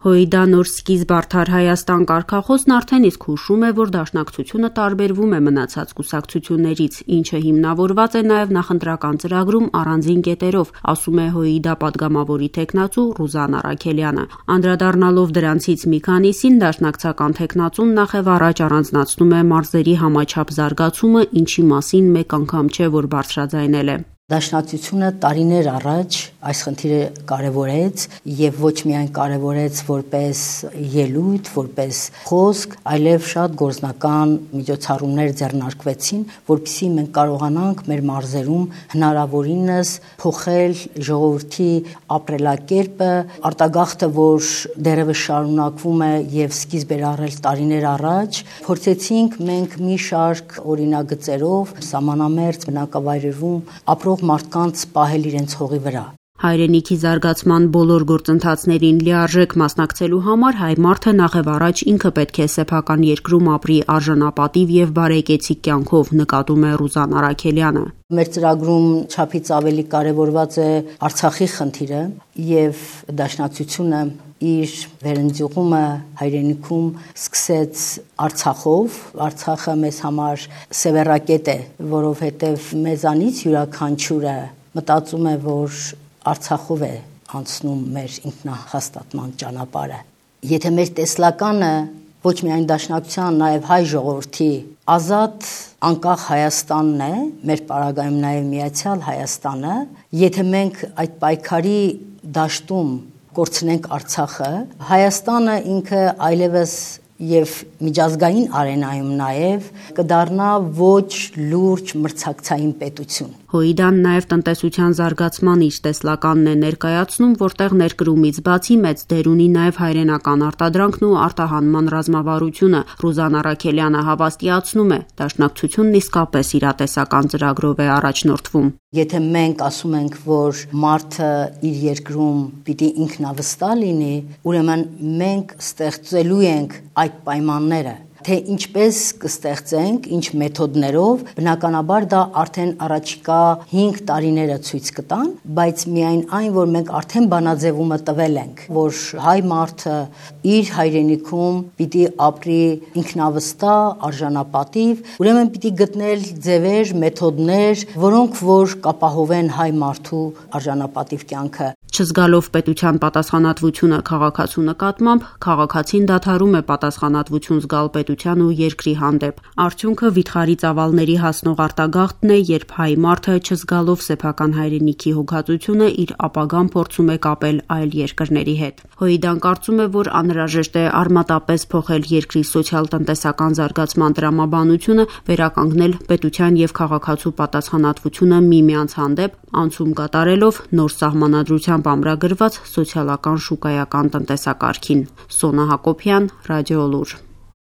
Հոիդա նոր սկիզբ արդար Հայաստան կարգախոսն արդեն իսկ հուշում է, որ դաշնակցությունը տարբերվում է մնացած կուսակցություններից, ինչը հիմնավորված է նաև նախընտրական ծրագրում առանձին կետերով, ասում է Հոիդա պատգամավորի թեկնածու Ռուզան Առաքելյանը։ Անդրադառնալով դրանցից մի քանիսին, դաշնակցական թեկնածուն նախև առաջ առանձնացնում է մարզերի համաչափ զարգացումը, ինչի մասին մեկ անգամ չէ, որ բարձրաձայնել է։ Դաշնակցությունը տարիներ առաջ այս խնդիրը կարևորեց եւ ոչ միայն կարևորեց որպես ելույթ, որպես խոսք, այլև շատ գործնական միջոցառումներ ձեռնարկվեցին, որպեսզի մենք կարողանանք մեր մարզերում հնարավորինս փոխել ժողովրդի ապրելակերպը, արտագաղթը, որ դեռևս շարունակվում է եւ սկիզբ էր առել տարիներ առաջ, փորձեցինք մենք մի շարք օրինագծերով սահմանամերձ բնակավայրերում ապրող մարդկանց պահել իրենց հողի վրա։ Հայրենիքի զարգացման բոլոր գործընթացներին լիարժեք մասնակցելու համար հայ մարդը նախև առաջ ինքը պետք է սեփական երկրում ապրի արժանապատիվ եւ բարեկեցիկ կյանքով, նկատում է Ռուզան Առաքելյանը։ Մեր ծրագրում չափից ավելի կարևորված է Արցախի խնդիրը եւ դաշնակցությունը իր վերընձյուղումը հայրենիքում սկսեց Արցախով։ Արցախը մեզ համար սևեռակետ է, որովհետև մեզանից յուրաքանչյուրը մտածում է, որ Արցախով է անցնում մեր ինքնահաստատման ճանապարհը։ Եթե մեր տեսլականը ոչ միայն դաշնակցության, նաև հայ ժողովրդի ազատ անկախ Հայաստանն է, մեր պարագայում նաև միացյալ Հայաստանը, եթե մենք այդ պայքարի դաշտում կորցնենք Արցախը, Հայաստանը ինքը այլևս եւ միջազգային արենայում նաև կդառնա ոչ լուրջ մրցակցային պետություն։ Հոիդան նաև տնտեսության զարգացման իր տեսլականն է ներկայացնում, որտեղ ներկրումից բացի մեծ դեր ունի նաև հայրենական արտադրանքն ու արտահանման ռազմավարությունը։ Ռուզան Առաքելյանը հավաստիացնում է, դաշնակցությունն իսկապես իրատեսական ծրագրով է առաջնորդվում։ Եթե մենք ասում ենք, որ մարդը իր երկրում պիտի ինքնավստահ լինի, ուրեմն մենք ստեղծելու ենք այդ պայմանները, թե ինչպես կստեղծենք, ինչ մեթոդներով, բնականաբար դա արդեն առաջիկա 5 տարիները ցույց կտան, բայց միայն այն, որ մենք արդեն բանաձևումը տվել ենք, որ հայ մարդը իր հայրենիքում պիտի ապրի ինքնավստահ, արժանապատիվ, ուրեմն պիտի գտնել ձևեր, մեթոդներ, որոնք որ կապահովեն հայ մարդու արժանապատիվ կյանքը։ Չզգալով պետության պատասխանատվությունը քաղաքացու նկատմամբ, քաղաքացին դադարում է պատասխանատվություն զգալ պետության ու երկրի հանդեպ։ Արդյունքը վիթխարի ծավալների հասնող արտագաղթն է, երբ հայ մարդը չզգալով սեփական հայրենիքի հոգացությունը իր ապագան փորձում է կապել այլ երկրների հետ։ Հոիդան կարծում է, որ անհրաժեշտ է արմատապես փոխել երկրի սոցիալ-տնտեսական զարգացման տրամաբանությունը, վերականգնել պետության եւ քաղաքացու պատասխանատվությունը միմյանց հանդեպ, անցում կատարելով նոր սահմանադրությամբ ամրագրված սոցիալական շուկայական տնտեսակարգին։ Սոնա Հակոբյան, Ռադիոլուր։